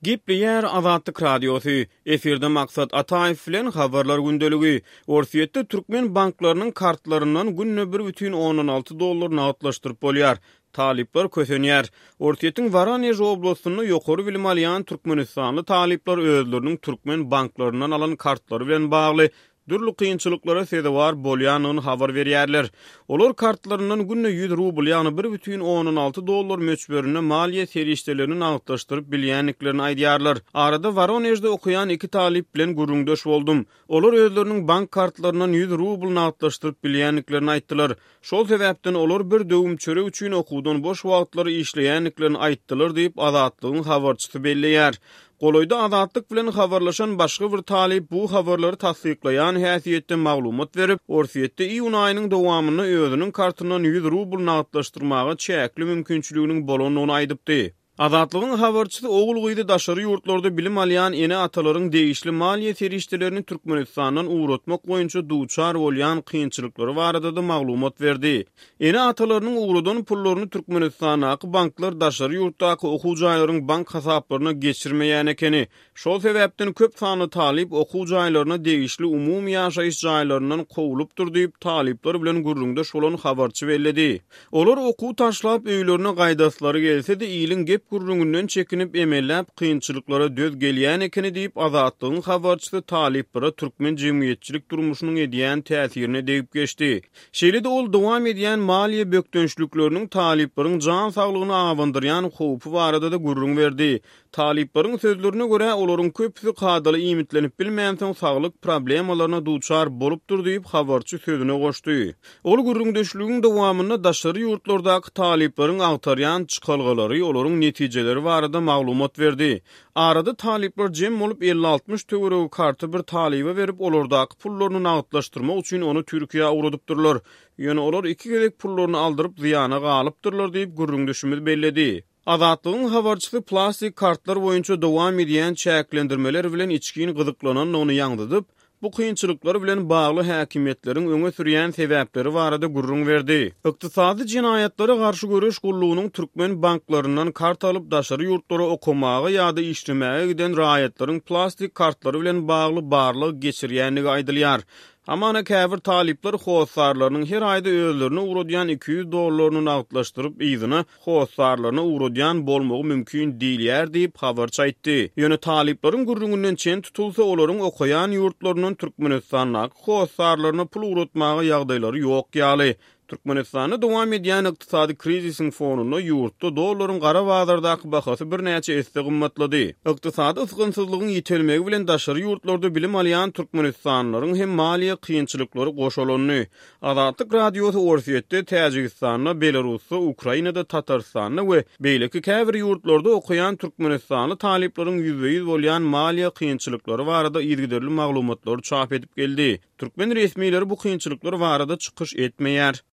Gepleýär Azatlyk Radiosy, Efirde Maksat Ataýew bilen Habarlar gündeligi. Orsýetde türkmen banklarynyň kartlaryndan günde bir bütin ondan alty dollar nagtlaşdyryp bolýar. Talyplar kösenýär. Orsýetiň Woronež oblastynda ýokary bilim alýan türkmenistanly talyplar özleriniň türkmen banklaryndan alan kartlary bilen bagly dürli kynçylyklara sezewar bolýandygyny habar berýärler. Olar kartlaryndan günde 100 rubl, ýagny bir bütin ondan alty dollar möçberinde maliýe serişdelerini nagtlaşdyryp bilýändiklerini aýdýarlar. Arada Woronežde okaýan iki talyp bilen gürrüňdeş boldum. Olar özleriniň bank kartlaryndan 100 rubl nagtlaşdyryp bilýändiklerini aýtdylar. Şol sebäpden olar bir döwüm çörek üçin okuwdan boş wagtlary işleýändiklerini aýtdylar diýip, Azatlygyň habarçysy belleýär. Golaýda Azatlyk bilen habarlaşan başga bir talyp bu habarlary tassyklaýan häsiýetde maglumat berip, Orsýetde iýun aýynyň dowamynda özüniň kartyndan 100 rubl nagtlaşdyrmaga çäkli mümkinçiliginiň bolandygyny aýdypdy. Azatlygyň habarçysy ogul-gyzy daşary ýurtlarda bilim alýan ene-atalaryň degişli maliýe serişdelerini Türkmenistandan ugratmak boýunça duçar bolýan kynçylyklary barada-da maglumat berdi. Ene-atalarynyň ugradan pullaryny Türkmenistandaky banklar daşary ýurtdaky okuw jaýlaryň bank hasaplaryna geçirmeýän ekeni. Şol sebäpden köp sanly talyp okuw jaýlaryna degişli umumy ýaşaýyş jaýlaryndan kowlupdyr diýip, talyplar bilen gürrüňdeş bolan habarçy belledi. Olar okuw taşlap öýlerine gaýdaslary gelse-de, iliň gep-gürrüňinden çekinip, emelläp kynçylyklara döz gelýän ekeni diýip, Azatlygyň habarçysy talyplara türkmen jemgyýetçilik durmuşynyň edýän täsirine degip geçdi. Şeýle-de ol dowam edýän maliýe bökdençlikleriniň talyplaryň jan saglygyna abandyrýan howpy barada-da gürrüň berdi. Talyplaryň sözlerine görä, olaryň köpüsi kadaly iýmitlenip bilmänsoň saglyk problemalaryna duçar bolupdyr diýip, habarçy sözüne goşdy. Ol gürrüňdeşligiň dowamynda daşary ýurtlardaky talyplaryň agtarýan çykalgalary, olaryň netijeleri barada maglumat berdi. Arada talyplar jem bolup 50-60 töweregi karty bir talyba berip, olardaky pullaryny nagtlaşdyrmak üçin ony Türkiýä ugradypdyrlar. Ýöne olar iki gezek pullaryny aldyryp zyýana galypdyrlar diýip, gürrüňdeşimiz belledi. Azatlygyň habarçysy plastik kartlar boýunça dowam edýän çäklendirmeler bilen içgin gyzyklanandygyny ýaňzydyp, bu kynçylyklar bilen bagly häkimiýetleriň öňe sürýän sebäpleri barada gürrüň berdi. Ykdysady jenaýatlara garşy göreş gullugynyň türkmen banklaryndan kart alyp daşary ýurtlara okamaga ýa-da işlemäge giden raýatlaryň plastik kartlary bilen bagly barlag geçirýändigi aýdylýar. Hamana käbir talyplar hossarlarynyň her aýda özlerine ugradýan 200 dollaryny nagtlaşdyryp yzyna hossarlaryna ugradýan bolmagy mümkin diýilýär diýip, habarçy aýtdy. Ýöne talyplaryň gürrüňinden çen tutulsa, olaryň okaýan ýurtlaryndan Türkmenistandaky hossarlaryna pul ugratmaga ýagdaýlary ýok ýaly. Türkmenistanda dowam edýän ykdysady krizisiň fonunda ýurtda dollaryň gara bazardaky bahasy birnäçe esse gymmatlady. Ykdysady ysgynsyzlygyň ýitelmegi bilen daşary ýurtlarda bilim alýan türkmenistanlylaryň hem maliýe kynçylyklary goşalandy. Azatlyk Radiosy Orsýetde, Täjigistanda, Belarusda, Ukrainada, Tatarystanda we beýleki käbir ýurtlarda okaýan türkmenistanly talyplaryň ýüzbe-ýüz bolýan maliýe kynçylyklary barada yzygiderli maglumatlary çap edip geldi. Türkmen resmileri bu kynçylyklar barada çykyş etmeýär.